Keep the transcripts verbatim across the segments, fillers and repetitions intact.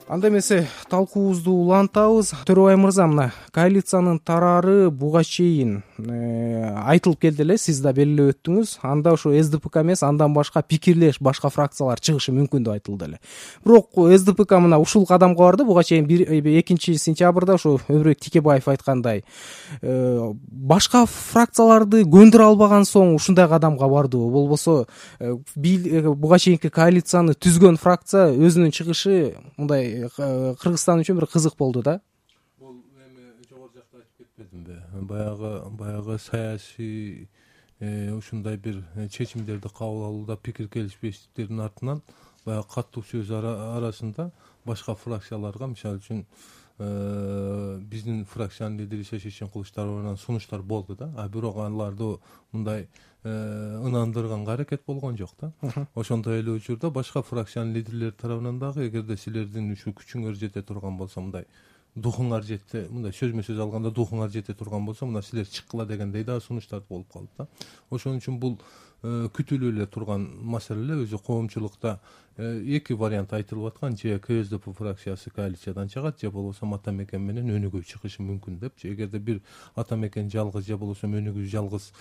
Анда эмесе талкуубузду улантабыз. Төрөбай мырза, мына коалициянын тарары буга чейин айтылып келди эле, сиз да белгилеп өттүңүз. Анда ошо СДПК эмес, андан башка пикирлеш башка фракциялар чыгышы мүмкүн деп айтылды эле. Бирок СДПК мына ушул кадамга барды. Буга чейин экинчи сентябрда ошо Өмүрбек Тикебаев айткандай, башка фракцияларды көндүрө албаган соң ушундай кадамга бардыбы? Болбосо буга чейинки коалицияны түзгөн фракция өзүнүн чыгышы мындай Кыргызстан үчүн бир кызык болду да. Бул эми жогору жакта айтып кетпедимби? Баягы баягы саясий ушундай бир чечимдерди кабыл алууда пикир келишпештиктердин артынан баягы каттуу сөз арасында башка фракцияларга, мисалы үчүн биздин фракциянын лидери Шешен Кылычдаровдон сунуштар болду да. А бирок аларды мындай ынандырганга аракет болгон жок да. Ошондой эле учурда башка фракциянын лидерлери тарабынан дагы, эгерде силердин ушу күчүңөр жете турган болсо, мындай духуңар жете, мындай сөзмө сөз алганда духуңар жете турган болсо, мына силер чыккыла дегендей дагы сунуштар болуп калды да. Ошон үчүн бул күтүлүп эле турган маселе. Өзү коомчулукта эки вариант айтылып аткан: же КСДП фракциясы коалициядан чыгат, же болбосо ата мекен менен өнүгүү чыгышы мүмкүн деп. Эгерде бир ата мекен жалгыз, же болбосо өнүгүү жалгыз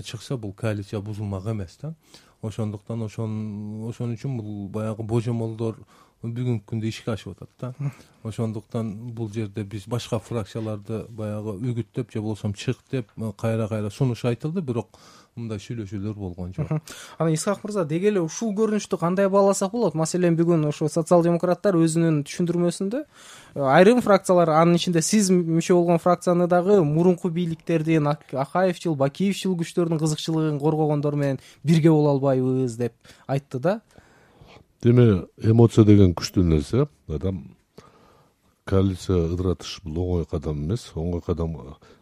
чыкса, бул коалиция бузулмак эмес да. Ошондуктан ошон ошон үчүн бул баягы божомолдор бүгүнкү күндө ишке ашып атат да. Ошондуктан бул жерде биз башка фракцияларды баягы үгүттөп, же болбосо чык деп кайра кайра сунуш айтылды, бирок мындай сүйлөшүүлөр болгон жок. Анан Исхак мырза, деги эле ушул көрүнүштү кандай бааласак болот? Маселен, бүгүн ошо социал-демократтар өзүнүн түшүндүрмөсүндө айрым фракциялар, анын ичинде сиз мүчө болгон фракцияны дагы мурунку бийликтердин, Акаевчил, Бакиевчил күчтөрдүн кызыкчылыгын коргогондор менен бирге боло албайбыз деп айтты да. Деме, эмоция деген күчтүү нерсе. Адам коалиция ыдыратыш бул оңой кадам эмес. Оңой кадам.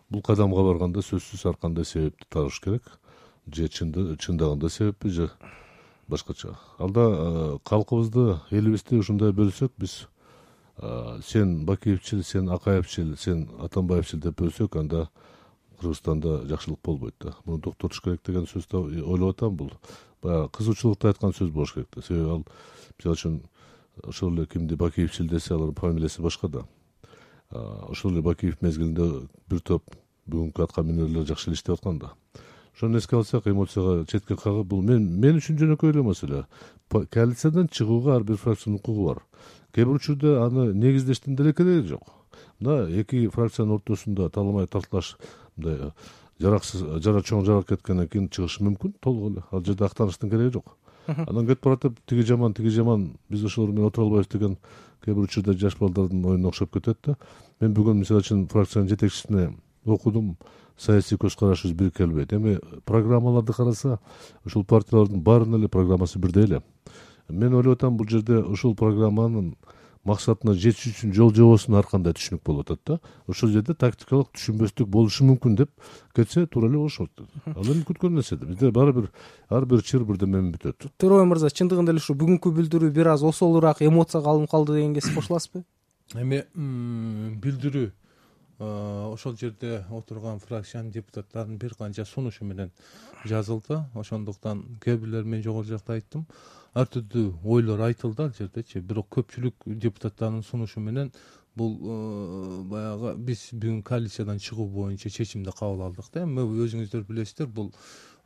Бул кадамга барганда сөзсүз ар кандай себепти табыш керек. Же чындагында себеппи, же башкача. Алда калкыбызды, элибизди ушундай бөлсөк, биз сен Бакиевчил, сен Акаевчил, сен Атамбаевчил деп бөлсөк, анда Кыргызстанда жакшылык болбойт да. Муну токтотуш керек деген сөздү ойлоп атам. Бул баягы кызуучулукта айткан сөз болуш керек да. Себеби ал, мисалы үчүн, ошол эле кимди Бакиевчил десе, алар фамилиясы башка да. Ошол эле Бакиев мезгилинде бир топ бүгүнкү атка минерлер жакшы эл иштеп аткан да. Ошону эске алсак, эмоцияга четке кагып, бул мен мен үчүн жөнөкөй эле маселе. Коалициядан чыгууга ар бир фракциянын укугу бар. Кээ бир учурда аны негиздештин деле кереги жок. Мына эки фракциянын ортосунда таламай тартылаш, мындай жараксыз, жара чоң жарак кеткенден кийин чыгышы мүмкүн, толук эле. Ал жерде актаныштын кереги жок. Анан кетип баратып, тиги жаман, тиги жаман, биз ошолор менен отура албайбыз деген кээ бир учурда жаш балдардын оюна окшоп кетет да. Мен бүгүн мисалы үчүн фракциянын жетекчисине окудум, саясий көз карашыбыз бир келбейт. Эми программаларды караса, ушул партиялардын баарынын эле программасы бирдей эле. Мен ойлоп атам, бул жерде ушул программанын максатына жетиш үчүн жол жобосуна ар кандай түшүнүк болуп атат да. Ошол жерде тактикалык түшүнбөстүк болушу мүмкүн деп кетсе туура эле болушот. Ал эми күткөн нерсе. Бизде баары бир ар бир чыр бирдемемен бүтөт. Төрөбай мырза, чындыгында эле ушу бүгүнкү билдирүү бир аз осолураак эмоцияга алынып калды дегенге сиз кошуласызбы? Эми билдирүү ошол жерде отурган фракциянын депутаттарынын бир канча сунушу менен жазылды. Ошондуктан кээ бирлер, мен жогору жакта айттым, ар түрдүү ойлор айтылды ал жердечи. Бирок көпчүлүк депутаттардын сунушу менен бул баягы биз бүгүн коалициядан чыгуу боюнча чечимди кабыл алдык да. Эми өзүңүздөр билесиздер, бул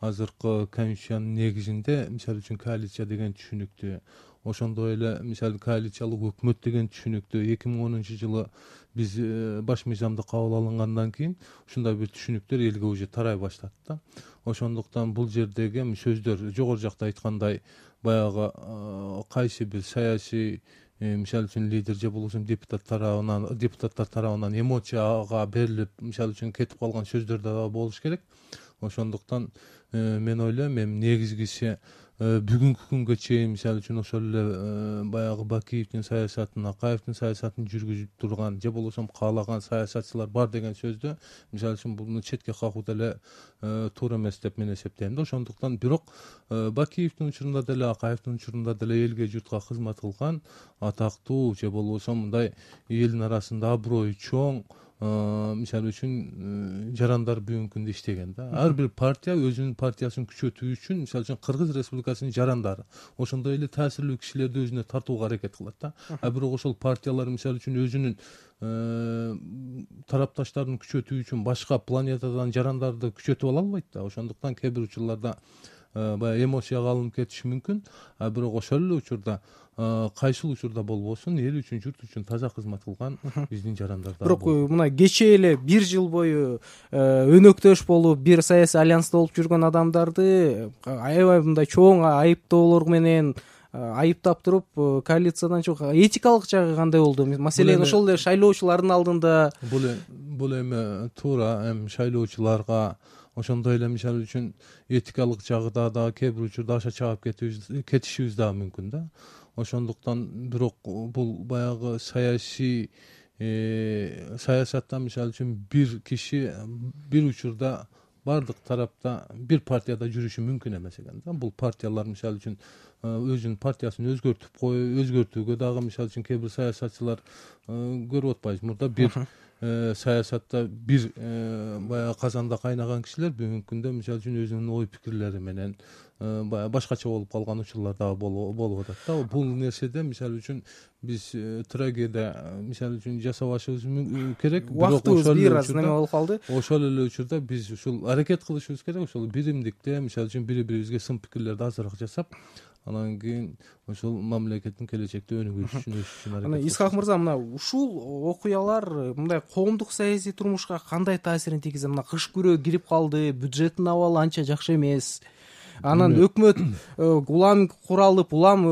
азыркы конституциянын негизинде, мисалы үчүн, коалиция деген түшүнүктү, ошондой эле мисалы коалициялык өкмөт деген түшүнүктү эки миң онунчу жылы биз баш мыйзамды кабыл алынгандан кийин ушундай бир түшүнүктөр элге уже тарай баштады да. Ошондуктан бул жердеги сөздөр жогору жакта айткандай баягы кайсы бир саясий, мисалы үчүн, лидер же болбосо депутат тарабынан депутаттар тарабынан эмоцияга берилип, мисалы үчүн, кетип калган сөздөр да болуш керек. Ошондуктан мен ойлойм, эми негизгиси бүгүнкү күнгө чейин, мисалы үчүн, ошол эле баягы Бакиевдин саясатын, Акаевдин саясатын жүргүзүп турган же болбосо каалаган саясатчылар бар деген сөздү, мисалы үчүн, буну четке кагуу деле туура эмес деп мен эсептейм да. Ошондуктан бирок Бакиевдин учурунда деле, Акаевдин учурунда деле элге, журтка кызмат кылган атактуу же болбосо мындай элдин арасында аброю чоң, мисалы үчүн жарандар бүгүнкү күндө иштеген да. Ар бир партия өзүнүн партиясын күчөтүү үчүн мисалы үчүн Кыргыз Республикасынын жарандары ошондой эле таасирлүү кишилерди өзүнө тартууга аракет кылат да. А бирок ошол партиялар мисалы үчүн өзүнүн тарапташтарын күчөтүү үчүн башка планетадан жарандарды күчөтүп ала албайт да. Ошондуктан кээ бир учурларда баягы эмоцияга алынып кетиши мүмкүн. А бирок ошол эле учурда кайсыл учурда болбосун эл үчүн, журт үчүн таза кызмат кылган биздин жарандар да. Бирок мына кечээ эле бир жыл бою өнөктөш болуп бир саясий альянста болуп жүргөн адамдарды аябай мындай чоң айыптоолор менен айыптап туруп коалициядан чыгып этикалык жагы кандай болду? Маселен ошол эле шайлоочулардын алдында бул бул эми туура эми шайлоочуларга ошондой эле мисалы үчүн этикалык жагыда да кээ бир учурда аша чаап кетишибиз дагы мүмкүн да. Ошондуктан бирок бул баягы саясий саясатта мисалы үчүн бир киши бир учурда баардык тарапта бир партияда жүрүшү мүмкүн эмес экен да. Бул партиялар мисалы үчүн өзүнүн партиясын өзгөртүп коюп өзгөртүүгө дагы мисалы үчүн кээ бир саясатчылар көрүп атпайбыз. Мурда бир саясатта бир баягы казанда кайнаган кишилер бүгүнкү күндө мисалы үчүн өзүнүн ой пикирлери менен баягы башкача болуп калган учурлар дагы болуп атат да. Бул нерседе мисалы үчүн биз трагедия мисалы үчүн жасабашыбыз керек. Убактыбыз бир аз неме болуп калды. Ошол эле учурда биз ушул аракет кылышыбыз керек. Ошол биримдикте мисалы үчүн бири бирибизге сын пикирлерди азыраак жасап, анан кийин ошол мамлекеттин келечекте өнүгүшү үчүн өсүш үчүн аракет. Анан Исхак мырза, мына ушул окуялар мындай коомдук саясий турмушка кандай таасирин тийгизет? Мына кыш күрөө кирип калды, бюджеттин абалы анча жакшы эмес. Анан өкмөт улам куралып, улам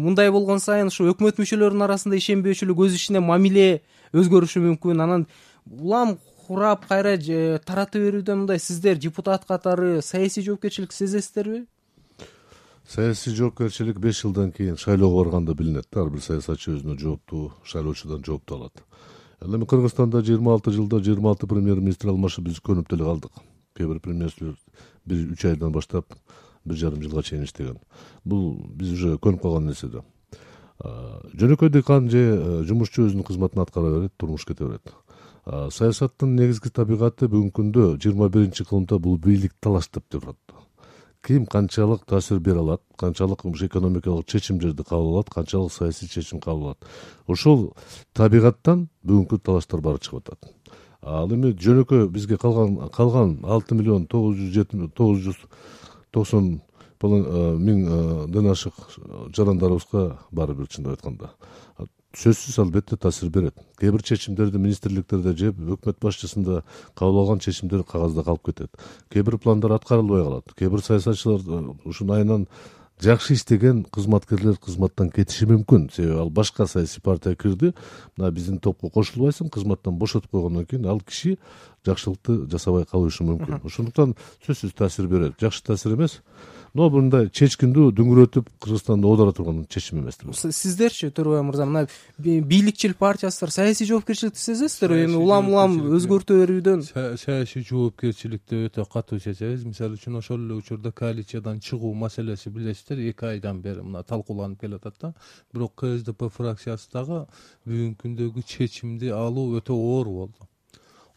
мындай болгон сайын ушу өкмөт мүчөлөрүнүн арасында ишенбөөчүлүк, өз ичинде мамиле өзгөрүшү мүмкүн. Анан улам курап кайра тарата берүүдө мындай сиздер депутат катары саясий жоопкерчилик сезесиздерби? Саясий жоопкерчилик беш жылдан кийин шайлоого барганда билинет да. Ар бир саясатчы өзүнө жооптуу, шайлоочудан жоопту алат. Ал эми Кыргызстанда жыйырма алты жылда жыйырма алты премьер-министр алмашып биз көнүп деле калдык. Кээ бир премьер-министрлер бир үч айдан баштап бир жарым жылга чейин иштеген. Бул биз уже көнүп калган нерсе да. Жөнөкөй дыйкан же жумушчу өзүнүн кызматын аткара берет, турмуш кете берет. Саясаттын негизги табигаты бүгүнкү күндө жыйырма биринчи кылымда бул бийлик талаштап турат. Ким канчалык таасир бере алат, канчалык экономикалык чечимдерди кабыл алат, канчалык саясий чечим кабыл алат. Ошол табигаттан бүгүнкү талаштар баары чыгып атат. Ал эми жөнөкөй бизге калган калган алты миллион тогуз жүз жети тогуз жүз токсон миңден ашык жарандарыбызга баары бир чындап айтканда сөзсүз албетте таасир берет. Кээ бир чечимдерди министрликтерде же өкмөт башчысында кабыл алган чечимдер кагазда калып кетет. Кээ бир пландар аткарылбай калат. Кээ бир саясатчылар ушунун айынан жакшы иштеген кызматкерлер кызматтан кетиши мүмкүн. Себеби ал башка саясий партия кирди, мына биздин топко кошулбайсың, кызматтан бошотуп койгондон кийин ал киши жакшылыкты жасабай калышы мүмкүн. Ошондуктан сөзсүз таасир берет. Жакшы таасир эмес, но мындай чечкиндүү дүңгүрөтүп Кыргызстанды оодара турган чечим эмес. Сиздерчи, Төрөбай мырза, мына бийликчил партиясыздар саясий жоопкерчиликти сезесиздерби? Эми улам-улам өзгөртө берүүдөн саясий жоопкерчиликти өтө катуу сезебиз. Мисалы үчүн ошол эле учурда коалициядан чыгуу маселеси билесиздер, эки айдан бери мына талкууланып келатат да. Бирок КСДП фракциясы дагы бүгүнкү күндөгү чечимди алуу өтө оор болду.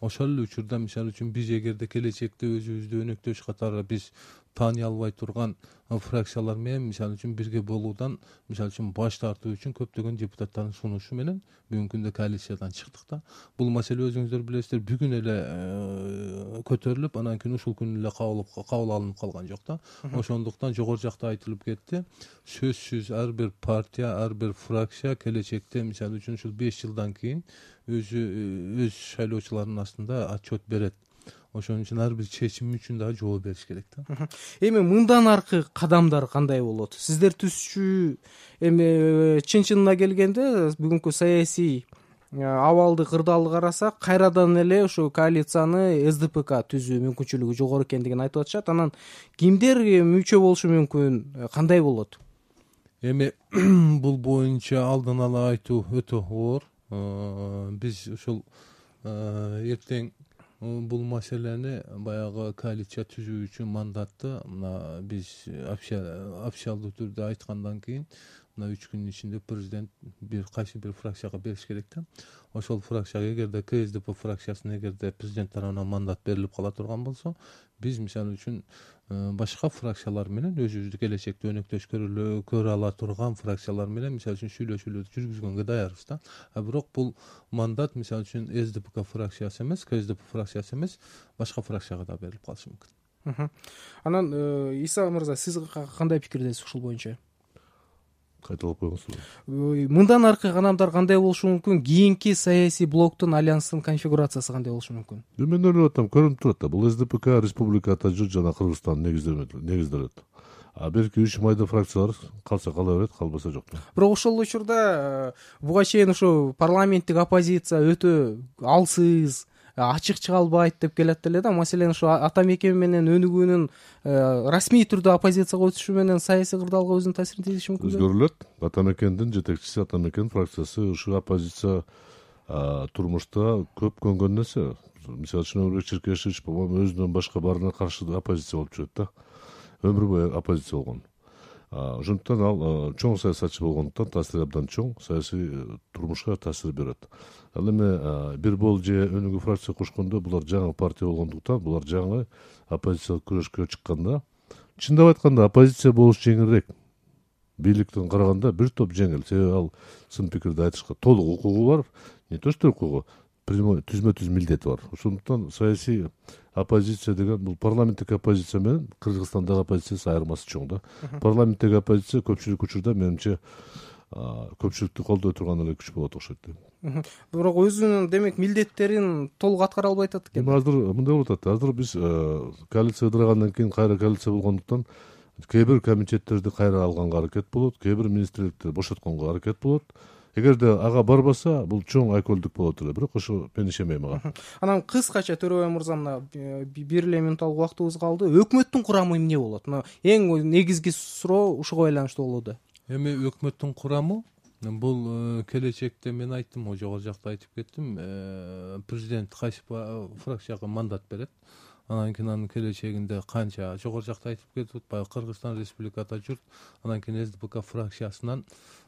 Ошол эле учурда мисалы үчүн биз эгерде келечекте өзүбүздү өнөктөш катары биз тааний албай турган фракциялар менен мисалы үчүн бирге болуудан мисалы үчүн баш тартуу үчүн көптөгөн депутаттардын сунушу менен бүгүнкү күндө коалициядан чыктык да. Бул маселе өзүңүздөр билесиздер бүгүн эле көтөрүлүп, анан кийин ушул күнү эле кабыл алынып калган жок да. Ошондуктан жогору жакта айтылып кетти. Сөзсүз ар бир партия, ар бир фракция келечекте мисалы үчүн ушул беш жылдан кийин өзү өз шайлоочуларынын астында отчет берет. Ошон үчүн ар бир чечим үчүн дагы жооп бериш керек да. Эми мындан аркы кадамдар кандай болот? Сиздер түзчү эми чын-чынына келгенде бүгүнкү саясий абалды, кырдаалды карасак, кайрадан эле ошо коалицияны эс дэ пэ ка түзүү мүмкүнчүлүгү жогору экендигин айтып атышат. Анан кимдер мүчө болушу мүмкүн, кандай болот? Эми бул боюнча алдын ала айтуу өтө оор. Биз ушул эртең бул маселени баягы коалиция түзүү үчүн мандатты мына биз официалдуу түрдө айткандан кийин мына үч күнүн ичинде президент бир кайсы бир фракцияга бериш керек да. Ошол фракцияга эгерде КСДП фракциясына эгерде президент тарабынан мандат берилип кала турган болсо, биз мисалы үчүн башка фракциялар менен өзүбүздү келечекте өнөктөш көрө ала турган фракциялар менен мисалы үчүн сүйлөшүүлөрдү жүргүзгөнгө даярбыз да. А бирок бул мандат мисалы үчүн СДПК фракциясы эмес, КСДП фракциясы эмес, башка фракцияга да берилип калышы мүмкүн. Анан Иса мырза, сиз кандай пикирдесиз ушул боюнча? Кайталап коюңуз. Мындан аркы кадамдар кандай болушу мүмкүн? Кийинки саясий блоктун альянстын конфигурациясы кандай болушу мүмкүн? Мен ойлоп атам, көрүнүп турат да. Бул СДПК республикада жүр жана Кыргызстан негизделет. А берки үч майда фракциялар калса кала берет, калбаса жок. Бирок ошол учурда буга чейин ушу парламенттик оппозиция өтө алсыз, ачык чыга албайт деп келет эле да. Маселен ушу Ата Мекен менен Өнүгүүнүн расмий түрдө оппозицияга өтүшү менен саясий кырдаалга өзүнүн таасирин тийгизиши мүмкүн. Өзгөрүлөт. Ата Мекендин жетекчиси, Ата Мекен фракциясы ушу оппозиция турмушта көп көнгөн нерсе. Мисалы үчүн Өмүрбек Черкешевич по-моему өзүнөн башка баарына каршы оппозиция болуп жүрөт да. Өмүр бою оппозиция болгон. Ошондуктан ал чоң саясатчы болгондуктан таасири абдан чоң, саясий турмушка таасир берет. Ал эми Бир Бол же Өнүгүү фракция курушкондо булар жаңы партия болгондуктан, булар жаңы оппозициялык күрөшкө чыкканда, чындап айтканда оппозиция болуш жеңилирээк. Бийликтен караганда бир топ жеңил. Себеби ал сын пикирди айтышка толук укугу бар, не то что укугу, түзмө-түз милдети бар. Ошондуктан саясий оппозиция деген бул парламенттик оппозиция менен Кыргызстандагы оппозициясы айырмасы чоң да. Парламенттик оппозиция көпчүлүк учурда менимче көпчүлүктү колдой турган эле күч болот окшойт дейм. Бирок өзүнүн демек милдеттерин толук аткара албай атат экен. Эми азыр мындай болуп атат. Азыр биз коалиция ыдырагандан кийин кайра коалиция болгондуктан кээ бир комитеттерди кайра алганга аракет болот, кээ бир министрликти бошотконго аракет болот. Эгерде ага барбаса, бул чоң айкөлдүк болот эле, бирок ошо мен ишенбейм ага. Анан кыскача Төрөбай мырза, мына бир эле минутталык убактыбыз калды. Өкмөттүн курамы эмне болот? Мына эң негизги суроо ушуга байланыштуу болууда. Эми өкмөттүн курамы бул келечекте мен айттым, жогору жакта айтып кеттим, президент кайсы фракцияга мандат берет. Анан кийин анын келечегинде канча жогору жакта айтып кетип атпайбы, Кыргызстан республикада жүрт, анан кийин СДПК фракциясынан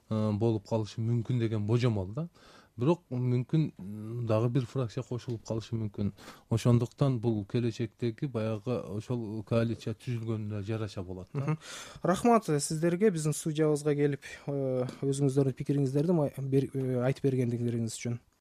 болуп калышы мүмкүн деген божомол да. Бирок мүмкүн дагы бир фракция кошулуп калышы мүмкүн. Ошондуктан бул келечектеги баягы ошол коалиция түзүлгөнүнө жараша болот да. Рахмат сиздерге биздин студиябызга келип өзүңүздөрдүн пикириңиздерди айтып бергендиңиз үчүн.